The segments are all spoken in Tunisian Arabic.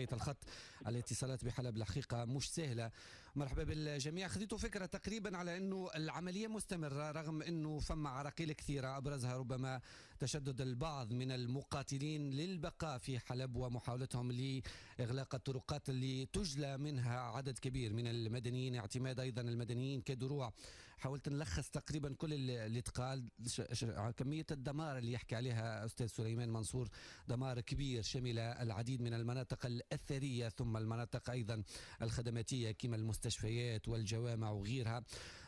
وضعية الخط الاتصالات بحلب الحقيقة مش سهلة. مرحبا بالجميع. خذيتوا فكرة تقريبا على أنه العملية مستمرة رغم أنه فما عراقيل كثيرة، أبرزها ربما تشدد البعض من المقاتلين للبقاء في حلب ومحاولتهم لإغلاق الطرقات اللي تجلى منها عدد كبير من المدنيين، اعتماد أيضا المدنيين كدروع. حاولت نلخص تقريبا كل اللي تقال. كمية الدمار اللي يحكي عليها أستاذ سليمان منصور، دمار كبير شمل العديد من المناطق الأثرية ثم المناطق أيضا الخدماتية كما المستشفيات والجوامع وغيرها.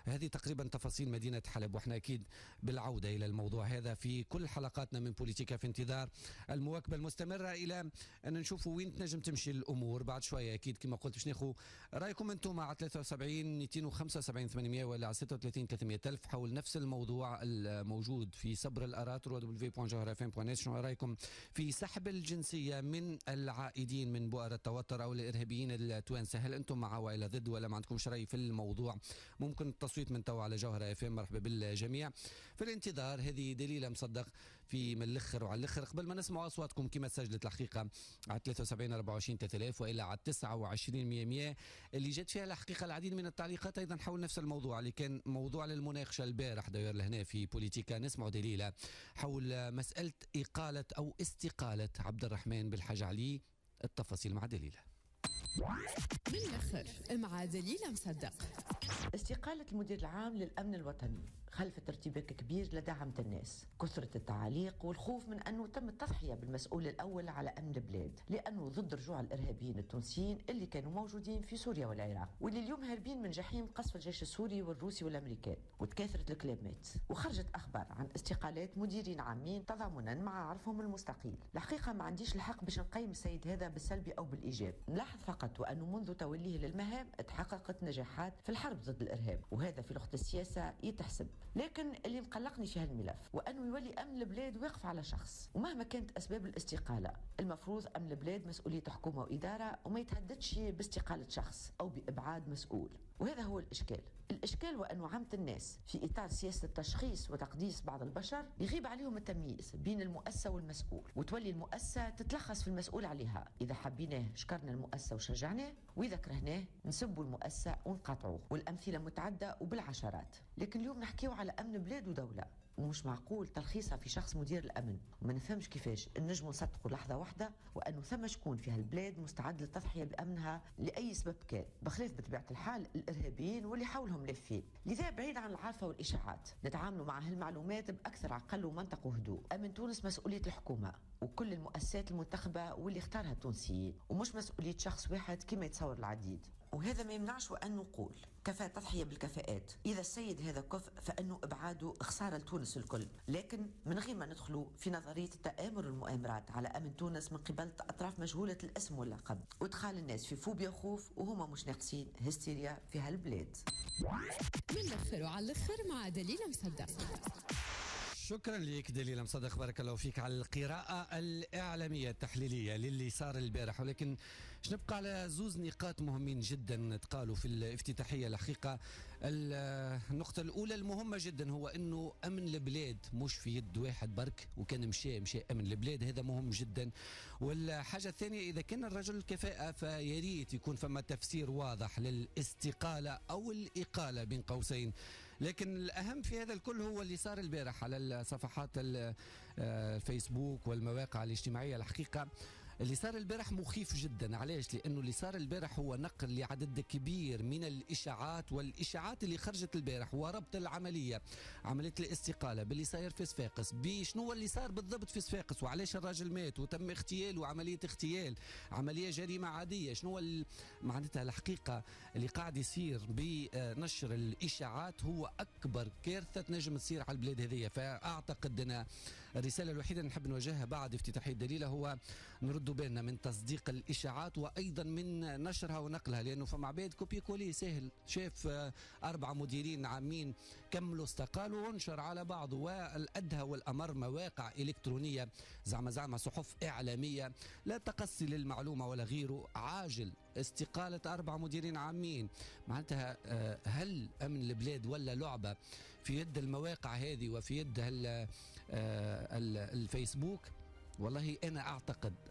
هذه تقريبا تفاصيل مدينة حلب، واحنا أكيد بالعودة إلى الموضوع هذا في كل حلقاتنا من بوليتيكا، في انتظار المواكبة المستمرة إلى أن نشوفوا وين تنجم تمشي الأمور بعد شوية. أكيد كما قلت باش ناخذ رأيكم أنتم على 73 275 800 ولا على 36 300 ألف حول نفس الموضوع الموجود في صبر الآراء www.jawharafm.net. شنو رأيكم في سحب الجنسية من العائدين من بؤر التوتر أو الإرهابيين التوانسة؟ هل أنتم مع ولا ضد ولا ما عندكمش رأي في الموضوع؟ ممكن التصويت من تو على جوهرة اف ام. مرحبا بالجميع. في الانتظار هذه دليلة مصدق في من الاخر وعلى الاخر قبل ما نسمع اصواتكم كما سجلت الحقيقة على 73 24 3000 والى على 29 100 اللي جت فيها الحقيقة العديد من التعليقات ايضا حول نفس الموضوع اللي كان موضوع للمناقشة البارح داير لهنا في بوليتيكا. نسمع دليلة حول مسألة إقالة أو استقالة عبد الرحمن بالحاج علي. التفاصيل مع دليلة. من الآخر مع دليلة مصدق. استقالة المدير العام للأمن الوطني خلفت ارتباك كبير لدى عامة الناس، كثرة التعاليق والخوف من أنه تم التضحية بالمسؤول الأول على أمن البلاد، لأنه ضد رجوع الإرهابيين التونسيين اللي كانوا موجودين في سوريا والعراق واللي اليوم هاربين من جحيم قصف الجيش السوري والروسي والأمريكان. وتكاثرت الكلامات وخرجت أخبار عن استقالات مديرين عامين تضامنا مع عرفهم المستقيل. الحقيقة ما عنديش الحق باش نقيم السيد هذا بالسلبي أو بالإيجاب، نلاحظ فقط وأنه منذ توليه للمهام تحققت نجاحات في الحرب ضد الإرهاب، وهذا في لغة السياسة يتحسب. لكن اللي مقلقني في هالملف وأنه يولي أمن البلاد واقف على شخص، ومهما كانت أسباب الاستقالة المفروض أمن البلاد مسؤولية حكومة وإدارة وما يتهددش باستقالة شخص أو بإبعاد مسؤول. وهذا هو الإشكال. الإشكال وأنه عامة الناس في إطار سياسة التشخيص وتقديس بعض البشر يغيب عليهم التمييز بين المؤسسة والمسؤول، وتولي المؤسسة تتلخص في المسؤول عليها. إذا حبيناه شكرنا المؤسسة وشجعناه، وإذا كرهناه نسبوا المؤسسة ونقاطعوه، والأمثلة متعدة وبالعشرات. لكن اليوم نحكيو على أمن بلاد ودولة، ومش معقول تلخيصها في شخص مدير الأمن. وما نفهمش كيفاش نجموا نصدقوا لحظة واحدة وأنه ثم شكون في هالبلاد مستعد للتضحية بأمنها لأي سبب كان، بخلاف بطبيعة الحال الإرهابيين واللي حولهم لافين. لذا بعيد عن العارفة والإشاعات نتعاملوا مع هالمعلومات بأكثر عقل ومنطق وهدوء. أمن تونس مسؤولية الحكومة وكل المؤسسات المنتخبة واللي اختارها التونسيين، ومش مسؤولية شخص واحد كما يتصور العديد. وهذا ما يمنعش وأن نقول كفاءة تضحية بالكفاءات. إذا السيد هذا كفء فإنه إبعاده خسارة لتونس الكل، لكن من غير ما ندخلوا في نظرية التآمر والمؤامرات على أمن تونس من قبل أطراف مجهولة الاسم واللقب، وادخال الناس في فوبيا وخوف وهما مش ناقصين هستيريا في هالبلاد. من الآخر وعلى الآخر مع دليلة مصدق. شكرا لك دليلة مصدق، بارك الله فيك على القراءة الإعلامية التحليلية للي صار البارح. ولكن نبقى على زوز نقاط مهمين جدا تقالوا في الافتتاحية. الحقيقة النقطة الأولى المهمة جدا هو أنه أمن البلاد مش في يد واحد برك، وكان مشى أمن البلاد، هذا مهم جدا. والحاجة الثانية إذا كان الرجل كفاءة فياريت يكون فما تفسير واضح للاستقالة أو الإقالة بين قوسين. لكن الأهم في هذا الكل هو اللي صار البارح على صفحات الفيسبوك والمواقع الاجتماعية. الحقيقة اللي صار البارح مخيف جدا. علاش؟ لأنه اللي صار البارح هو نقل لعدد كبير من الإشاعات، والإشاعات اللي خرجت البارح وربط العملية، عملية الاستقالة، باللي صاير في صفاقس، بشنو اللي صار بالضبط في صفاقس، وعلاش الراجل مات وتم اغتياله، وعملية اغتيال، عملية جريمة عادية، شنو معناتها الحقيقة اللي قاعد يصير بنشر الإشاعات هو أكبر كارثة تنجم تصير على البلاد هذية. فأعتقد أن الرسالة الوحيدة اللي نحب نوجهها بعد افتتاحية دليلة هو نرد بالنا من تصديق الإشاعات وأيضا من نشرها ونقلها، لأنه فما عباد copier-coller سهل، شاف 4 مديرين عامين كملوا استقالوا وانشر على بعض. والأدهى والأمر مواقع إلكترونية زعما صحف إعلامية لا تقصي للمعلومة ولا غيره، عاجل استقالة 4 مديرين عامين. معناتها هل أمن البلاد ولا لعبة في يد المواقع هذه وفي يد الفيسبوك؟ والله أنا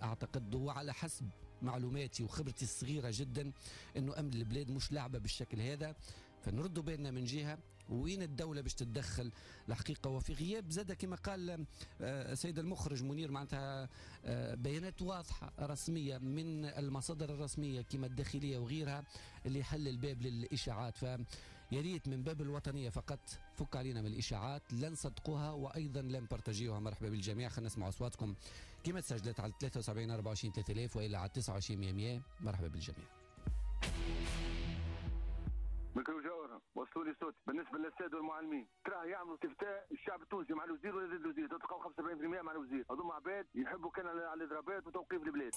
أعتقد وعلى حسب معلوماتي وخبرتي الصغيرة جدا أنه أمن البلاد مش لعبة بالشكل هذا. فنردوا بالنا من جهة وين الدولة باش تتدخل الحقيقة، وفي غياب زاد كما قال السيد المخرج منير معناتها بيانات واضحة رسمية من المصادر الرسمية كما الداخلية وغيرها اللي حل الباب للإشاعات. فيا ريت من باب الوطنية فقط فك علينا من الإشاعات، لا نصدقوها وأيضا لا نبرتجيوها. مرحبا بالجميع، خلينا نسمع أصواتكم كما تسجلت على 73 24 3000 وإلى على 29 100. مرحبا بالجميع. ميكرو جوهرة وصلوا لي صوت. بالنسبة للسادة والمعلمين تراه يعملوا استفتاء الشعب التونسي مع الوزير ولا ضد الوزير، تلقاو 75% مع الوزير. هذوما عباد يحبوا كان على الاضرابات وتوقيف البلاد.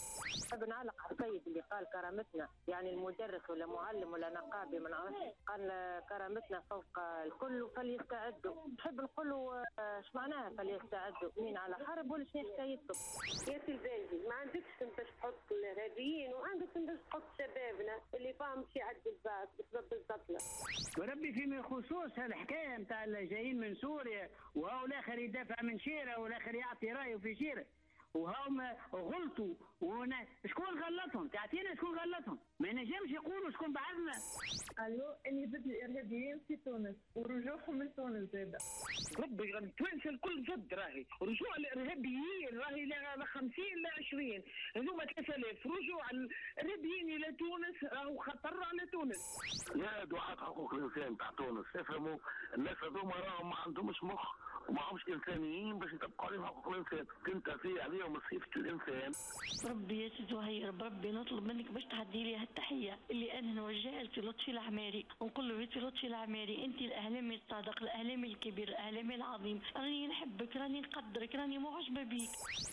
نحب نعلق على السيد اللي قال كرامتنا، يعني المدرس ولا معلم ولا نقابي ما نعرفش، قال كرامتنا فوق الكل فليستعدوا. نحب نقول له اش معناها فليستعدوا؟ مين على حرب ولا شنو حكايتكم؟ يا سي الباجي ما عندكش باش تحط الارهابيين وعندك باش تحط شبابنا اللي فاهم شي يعدي الباك بسبب الزطله. وربي فيما خصوص هالحكايه نتاع اللي جايين من سوريا وهو الاخر يدافع من شيره والاخر يعطي رايه في شيره وهم غلطوا، شكون غلطهم؟ تعطينا شكون غلطهم؟ ما نجمش يقولوا شكون بعثنا. قالوا اني ضد الارهابيين في تونس ورجوعهم من تونس زاده. ربي التوانسة الكل ضد، راهي رجوع الارهابيين راهي لا 50 لا 20، هذوما 3000 رجوع الارهابيين الى تونس راهو خطر على تونس. يا دعاة حقوق الانسان تاع تونس افهموا الناس هذوما راهم ما عندهمش مخ وما همش انسانيين باش يطبقوا عليهم حقوق الانسان، تنتفي عليهم صفة الانسان. ربي يا سي زهير بربي نطلب منك باش تعدي لي هالتحيه اللي انا نوجهها لسي لطفي العماري ونقول له يا سي لطفي العماري انت الاعلامي الصادق، الاعلامي الكبير، الاعلامي العظيم، راني نحبك، راني نقدرك، راني معجبه بيك.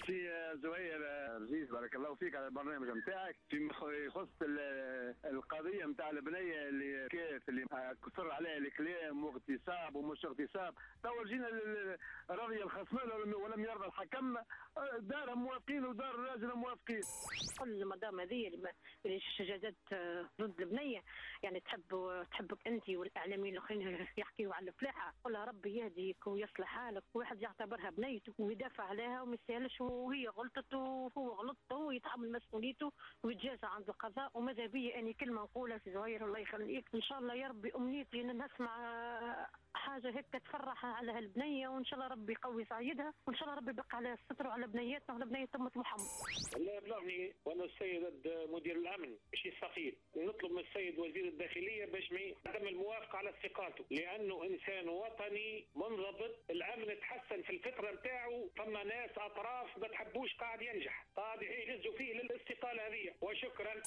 سي زهير رزيز بارك الله فيك على البرنامج نتاعك. فيما يخص القضية نتاع البنية اللي كيف اللي كثر عليها الكلام واغتصاب ومش اغتصاب، تو جينا رضي الخصمان ولم يرضى الحكم، دارهم موافقين ودار الراجل موافقين. قل المدام هذه اللي شجاجات ضد البنية، يعني تحبك انت والاعلاميين الاخرين يحكيوا على الفلاحة، قل لها ربي يهديك ويصلح حالك، واحد يعتبرها بنيته ويدافع عليها وما يسالش، وهي غلطت وهو غلط ويتحمل مسؤوليته ويتجازى عند القضاء. وماذا بيا اني كلمة نقولها في زهير الله يخليك، ان شاء الله يا ربي امنيتي ان نسمع حاجة هيك تفرح على هالبنيه، وان شاء الله ربي يقوي سعيدها، وان شاء الله ربي يبقى عليها الستر وعلى بنياتنا وعلى بنيه امه محمد. الله يبلغني وانا السيد مدير الامن باش يستقيل، نطلب من السيد وزير الداخلية باش ما يتم الموافقة على استقالته، لانه انسان وطني منضبط، الامن تحسن في الفترة نتاعو، فما ناس اطراف ما تحبوش قاعد ينجح، قاعد يهزوا فيه للاستقاله هذه. وشكرا.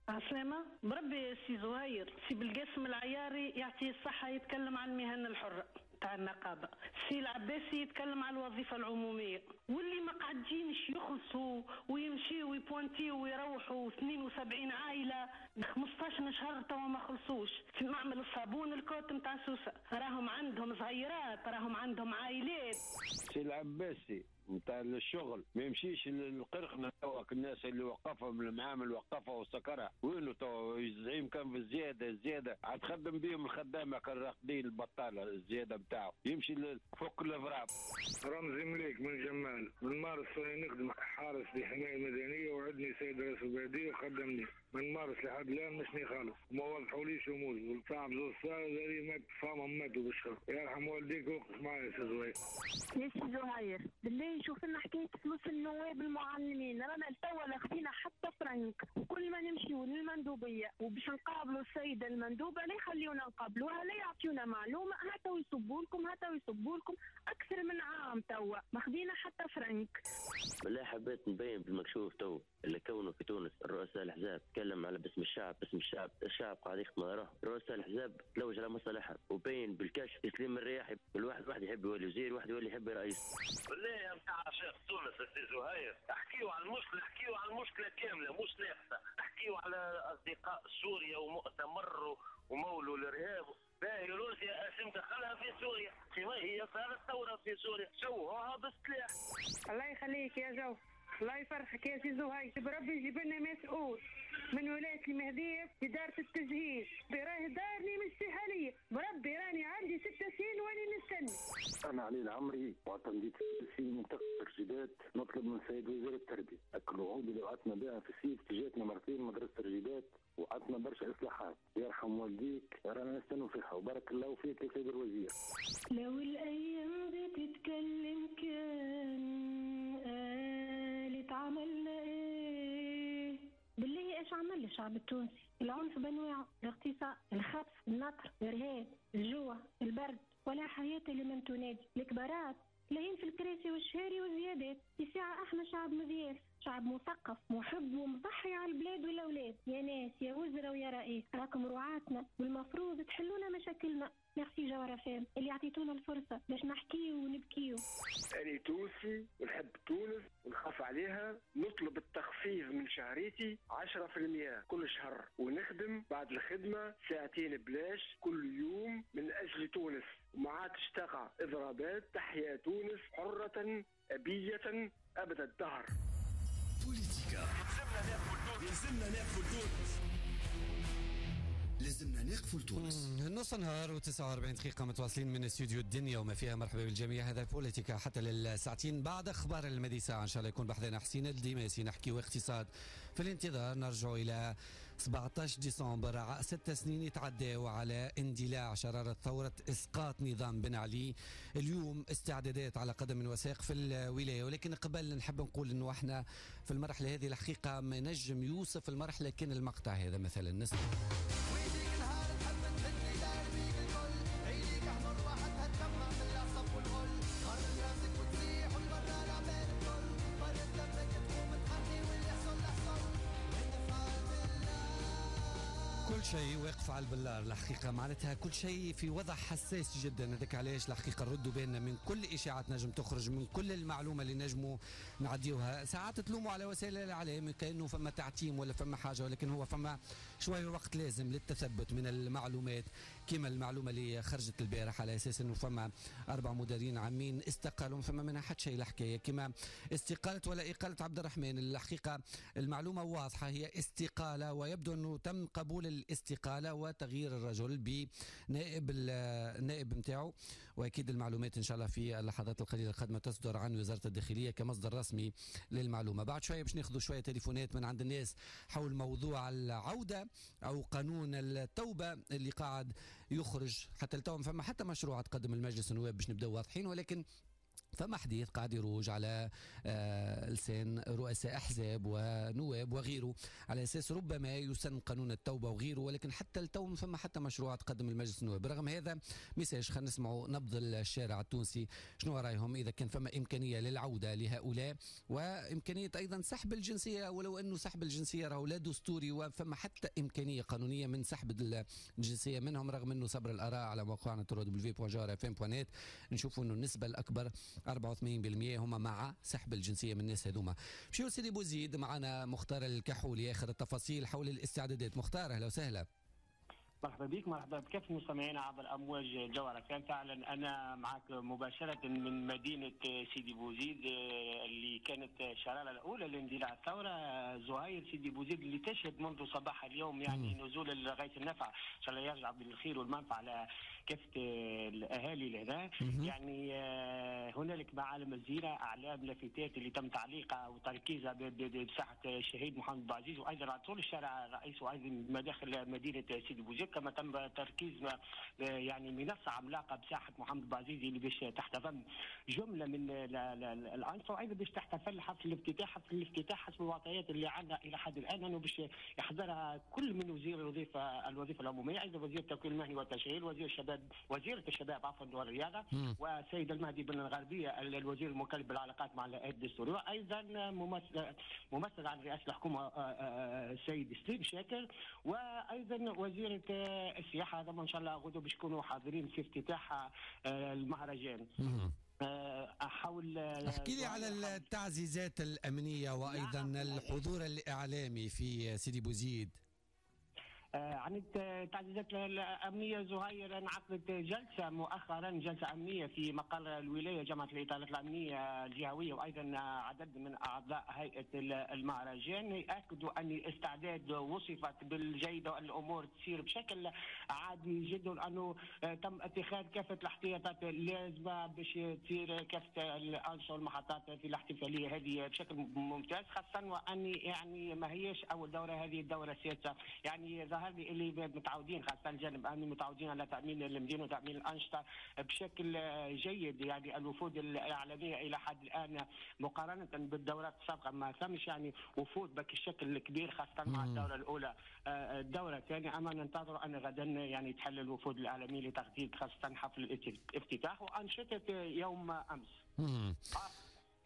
عسلامة. بربي سي زهير، سي بالقاسم العياري يعطيه الصحة يتكلم عن المهن الحرة تاع النقابة، سي العباسي يتكلم على الوظيفة العمومية، واللي ما قاعدينش يخلصوا ويمشيوا ويبوانتيوا ويروحوا 72 عائلة 15 شهر توا ما خلصوش في معمل الصابون الكوت نتاع سوسة، راهم عندهم صغيرات، راهم عندهم عائلات. سي العباسي نتاع الشغل ما يمشيش للقرخنه توا، الناس اللي وقفهم المعامل وقفها وسكرها وينو توا الزعيم كان في الزيادة عاد خدم بيهم الخدامة كان راقدين البطالة الزيادة نتاعو يمشي فوق الافراب. رمزي مليك من جمال من مارس نخدم حارس للحماية المدنية وعدني سيد رئيس البلدية وخدمني من مارس لحد الان مشني خالص وما وضحوليش اموري والصعب زوج صار مات فاهم ماتوا بالشر. يرحم والديك وقف معايا يا سي زهير. يا سي زهير بالله شوف لنا حكاية فلوس النواب المعلمين، رانا لتوا لا خذينا حتى فرنك، وكل ما نمشيو للمندوبيه وباش نقابلوا السيدة المندوبه لا يخليونا نقابلوها لا يعطيونا معلومة، هاتوا يصبوا لكم هاتوا يصبوا لكم اكثر من عام توا ما خذينا حتى فرنك. بالله حبيت نبين بالمكشوف تو اللي كونه في تونس الرؤساء الاحزاب تكلم على باسم الشعب، باسم الشعب، الشعب قاعد يخدم على روحه، رؤساء الاحزاب تلوج على مصالحها وبين بالكشف تسليم الرياحي، الواحد واحد يحب يولي وزير، واحد يولي يحب رئيس. بالله يا نتاع عشاق تونس السي زهير، احكيوا على المشكلة، احكيوا على المشكلة كاملة مش ناقصه، احكيوا على اصدقاء سوريا ومؤتمر ومولوا الارهاب. باهي روسيا اسم دخلها في سوريا، كما هي صارت ثورة في سوريا، شوهوها بالسلاح. الله يخليك يا جو، الله يفرحك يا سي زهير، بربي يجيب لنا مسؤول من ولاية المهدية إدارة التجهيز، راهي دارني مش في حالية، بربي راني عندي 6 سنين واني نستنى. أنا علي العمري معتمدية في منطقة الرجيدات، نطلب من سيد وزير التربية الوعود اللي وعدتنا بها في الصيف تجاتنا مرتين مدرسة الرجيدات وعدتنا برشا إصلاحات، يرحم والديك رانا نستنوا فيها وبارك الله فيك يا سيد الوزير. لو الأيام بتتكلم كان قالت عملنا إيه؟ بالله إيش عمل الشعب التونسي؟ العنف بأنواعه، الاغتصاب، الخطف، النطر، الإرهاب، الجوع، البرد، ولا حياة لمن تنادي. الكبارات لاهين في الكراسي والشهاري والزيادات. في ساعة احنا شعب مضياف، شعب مثقف، محب ومضحي على البلاد والأولاد. يا ناس يا وزراء ويا رئيس، راكم رعاتنا والمفروض تحلونا مشاكلنا. ميرسي جوهرة فام اللي عطيتونا الفرصة باش نحكيو ونبكيو. أنا تونسي ونحب تونس ونخاف عليها، نطلب التخفيض من شهريتي 10% كل شهر، ونخدم بعد الخدمة ساعتين بلاش كل يوم من أجل تونس، وما عادش تقع إضرابات. تحيا تونس حرة أبية أبد الدهر. بوليتيكا لازمنا ناقفوا لتونس، لازمنا نقفوا لتونس. نص نهار و49 دقيقة متواصلين من استوديو الدنيا وما فيها. مرحبا بالجميع، هذا بوليتيكا حتى للساعتين بعد اخبار المدي ساعة ان شاء الله يكون بحذنا حسين الديماسي نحكي اقتصاد. في الانتظار نرجع الى 17 ديسمبر، 6 سنين يتعداوا على اندلاع شرارة ثورة اسقاط نظام بن علي. اليوم استعدادات على قدم وساق في الولاية، ولكن قبل نحب نقول انه احنا في المرحلة هذه الحقيقة ما نجم يوصف المرحلة كان المقطع هذا مثلا. نسمع كل شيء واقف على البلار الحقيقة، معناتها كل شيء في وضع حساس جدا. هذاك علاش الحقيقة نردوا بالنا من كل إشاعات نجم تخرج، من كل المعلومة اللي نجموا نعديوها. ساعات تلوموا على وسائل الإعلام كأنه فما تعتيم ولا فما حاجة، ولكن هو فما شوية وقت لازم للتثبت من المعلومات، كما المعلومة اللي خرجت البارح على أساس أنه فما 4 مديرين عامين استقالوا، فما منها حتى شيء الحكاية، كما استقالة ولا إقالة عبد الرحمن. الحقيقة المعلومة واضحة، هي استقالة، ويبدو أنه تم قبول الاستقالة وتغيير الرجل بنائب النائب نتاعو. واكيد المعلومات ان شاء الله في اللحظات القليلة القادمة تصدر عن وزارة الداخلية كمصدر رسمي للمعلومة. بعد شوية باش ناخذ شوية تليفونات من عند الناس حول موضوع العودة او قانون التوبة اللي قاعد يخرج. حتى التو فما حتى مشروع تقدم المجلس النواب باش نبداو واضحين، ولكن فما حديث قاعد يروج على لسان رؤساء احزاب ونواب وغيره على اساس ربما يسن قانون التوبة وغيره، ولكن حتى التو ما فما حتى مشروع تقدم المجلس النواب. برغم هذا message خلينا نسمعوا نبض الشارع التونسي شنو رايهم اذا كان فما امكانية للعودة لهؤلاء، وامكانية ايضا سحب الجنسية، ولو انه سحب الجنسية راهو لا دستوري وفما حتى امكانية قانونية من سحب الجنسية منهم، رغم انه صبر الاراء على موقعنا www.jawhara.fm.net نشوفوا انه النسبة الاكبر 84% هما مع سحب الجنسية من الناس هذوما. مشيو سيدي بوزيد، معنا مختار الكحولي اخر التفاصيل حول الاستعدادات. مختار اهلا وسهلا. مرحبا بك، مرحبا بكافة المستمعين عبر امواج جوهرة فام. فعلا انا معك مباشرة من مدينة سيدي بوزيد اللي كانت الشرارة الاولى لاندلاع الثورة. زهير، سيدي بوزيد اللي تشهد منذ صباح اليوم يعني نزول الغيث النفع، ان شاء الله يرجع بالخير والمنفعه على كافة الاهالي لهنا. يعني هنالك معالم الزينة، اعلام، لافتات اللي تم تعليقها وتركيزها بساحة الشهيد محمد بوعزيز، وايضا على طول الشارع الرئيسي وايضا مداخل مدينة سيدي بوزيد. كما تم تركيز يعني منصة عملاقة بساحة محمد بوعزيزي اللي باش تحتضن جملة من الانشطة، وايضا باش تحتفل حفل الافتتاح. حفل الافتتاح حسب المعطيات اللي عندنا الى حد الان انه باش يحضرها كل من وزير الوظيفة العمومية، ايضا وزير التكوين المهني والتشغيل، وزير الشباب، وزيره الشباب عفوا والرياضة، والسيد المهدي بن الغربية الوزير المكلف بالعلاقات مع الهيئات الدستورية، وايضا ممثل عن رئاسة الحكومة السيد سليم شاكر، وايضا وزيره السياحة. هذا ان شاء الله غدو باش يكونوا حاضرين في افتتاح المهرجان. حول احكي لي على التعزيزات الامنية وايضا الحضور الاعلامي في سيدي بوزيد. عن التعزيزات الأمنية زهير، انعقدت جلسة مؤخرا، جلسة أمنية في مقر الولاية جامعة الإطارات الأمنية الجهوية، وأيضا عدد من أعضاء هيئة المهرجان يأكدوا أن الاستعداد وصفت بالجيدة والأمور تسير بشكل عادي جدا، أنه تم اتخاذ كافة الاحتياطات اللازمة باش تصير كافة الأنشطة والمحطات في الاحتفالية هذه بشكل ممتاز، خاصة وأن يعني ما هيش أول دورة، هذه الدورة السادسة. يعني ظهر لي اللي متعودين خاصة الجانب الأمني متعودين على تأمين المدينة وتأمين الأنشطة بشكل جيد. يعني الوفود الإعلامية إلى حد الآن مقارنة بالدورات السابقة ما ثمش يعني وفود بك الشكل الكبير، خاصة مع الدورة الأولى. الدورة الثانية أما ننتظر أن غدا يعني تحل الوفود الإعلامية لتغطية خاصة حفل الافتتاح وأنشطة يوم أمس.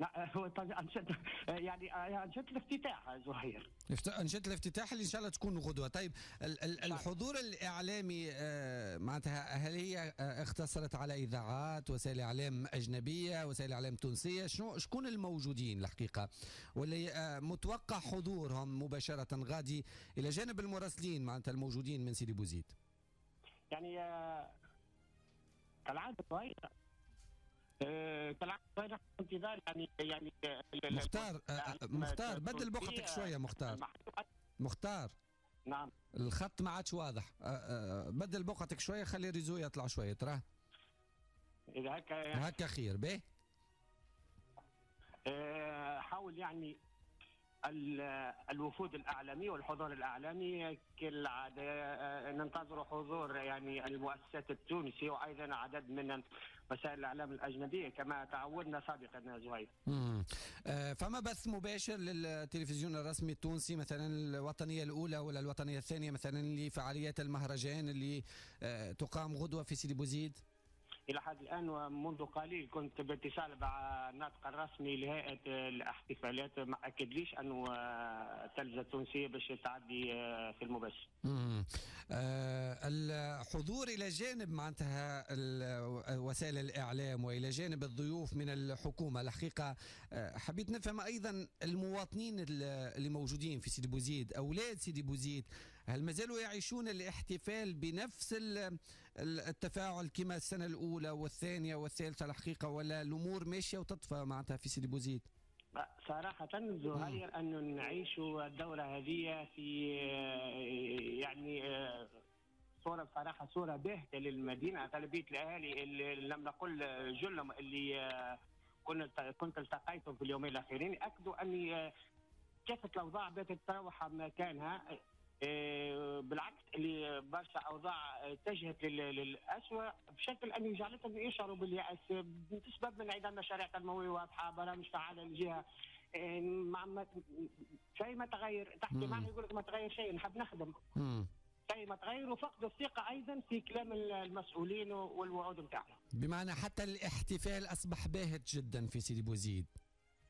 لا هو أنشطة يعني أنشطة الافتتاح زهير، أنشطة الافتتاح اللي إن شاء الله تكون غدوة. طيب الحضور الإعلامي معناتها هل هي اختصرت على إذاعات، وسائل إعلام أجنبية، وسائل إعلام تونسية؟ شنو شكون الموجودين الحقيقة واللي متوقع حضورهم مباشرة غادي إلى جانب المراسلين معناتها الموجودين من سيدي بوزيد؟ يعني كالعادة زهير، كالعادة انتظار يعني مختار بدل بقعتك شوية. مختار نعم، الخط ما عادش واضح، بدل بقعتك شوية، خلي ال réseau يطلع شوية تراه. اذا هكا هكا خير به. حاول يعني الوفود الإعلامي والحضور الإعلامي كالعادة ننتظر حضور يعني المؤسسات التونسية وأيضا عدد من وسائل الإعلام الأجنبية كما تعودنا سابقا زهير. فما بث مباشر للتلفزيون الرسمي التونسي مثلا الوطنية الأولى ولا الوطنية الثانية مثلا لفعاليات المهرجان اللي تقام غدوة في سيدي بوزيد؟ إلى حد الآن ومنذ قليل كنت باتصال مع الناطق الرسمي لهيئة الاحتفالات، ما أكدليش أنه التلفزة التونسية باش تعدي في المباشر. الحضور إلى جانب معناتها وسائل الإعلام وإلى جانب الضيوف من الحكومة، الحقيقة حبيت نفهم أيضا المواطنين اللي موجودين في سيدي بوزيد، أولاد سيدي بوزيد، هل ما زالوا يعيشون الاحتفال بنفس التفاعل كما السنة الأولى والثانية والثالثة الحقيقة، ولا الأمور ماشية وتطفى معناتها في سيدي بوزيد؟ صراحة زهير أنه نعيش الدورة هذه في يعني صورة بصراحة صورة باهتة للمدينة. غالبية الأهالي اللي لم نقل جلهم اللي كنت التقيتهم في اليومين الأخيرين أكدوا أني كافة الأوضاع باتت تروح مكانها، بالعكس اللي برشا اوضاع اتجهت للاسوء بشكل ان جعلتهم يشعروا بالياس بسبب انعدام مشاريع تنموية واضحة، برامج فعاله للجهة، شيء ما تغير. تحكي معه يقول لك ما تغير شيء، نحب نخدم. شيء ما تغير، وفقدوا الثقة ايضا في كلام المسؤولين والوعود نتاعهم. بمعنى حتى الاحتفال اصبح باهت جدا في سيدي بوزيد.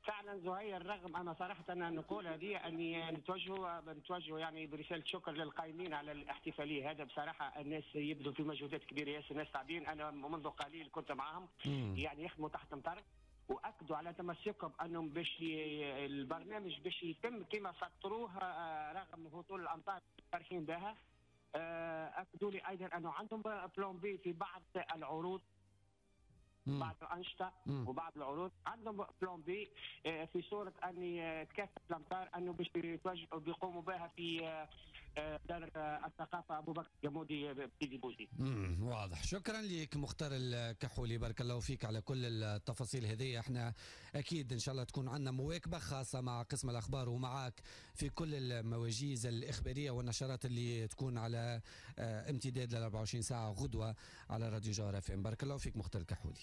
فعلا زهير، رغم انا صراحة نقول هذه اني نتوجه يعني برسالة شكر للقائمين على الاحتفالية هذا. بصراحة الناس يبذلوا في مجهودات كبيرة ياسر، الناس تعبين، انا منذ قليل كنت معهم يعني يخدموا تحت مطر، واكدوا على تمسكهم انهم باش البرنامج باش يتم كما سطروه رغم هطول الامطار فرحين بها. اكدوا لي ايضا انه عندهم plan B في بعض العروض، بعض الانشطة وبعض العروض عندهم plan B في صوره ان تكافئ الامطار انه باش يتوجهوا بيقوموا بها في دار الثقافة ابو بكر الجمودي بسيدي بوزيد. واضح. شكرا لك مختار الكحولي، بارك الله فيك على كل التفاصيل هذه. احنا اكيد ان شاء الله تكون عندنا مواكبة خاصة مع قسم الاخبار ومعك في كل المواجيز الاخبارية والنشرات اللي تكون على امتداد ل 24 ساعة غدوه على راديو جوهرة FM. بارك الله فيك مختار الكحولي.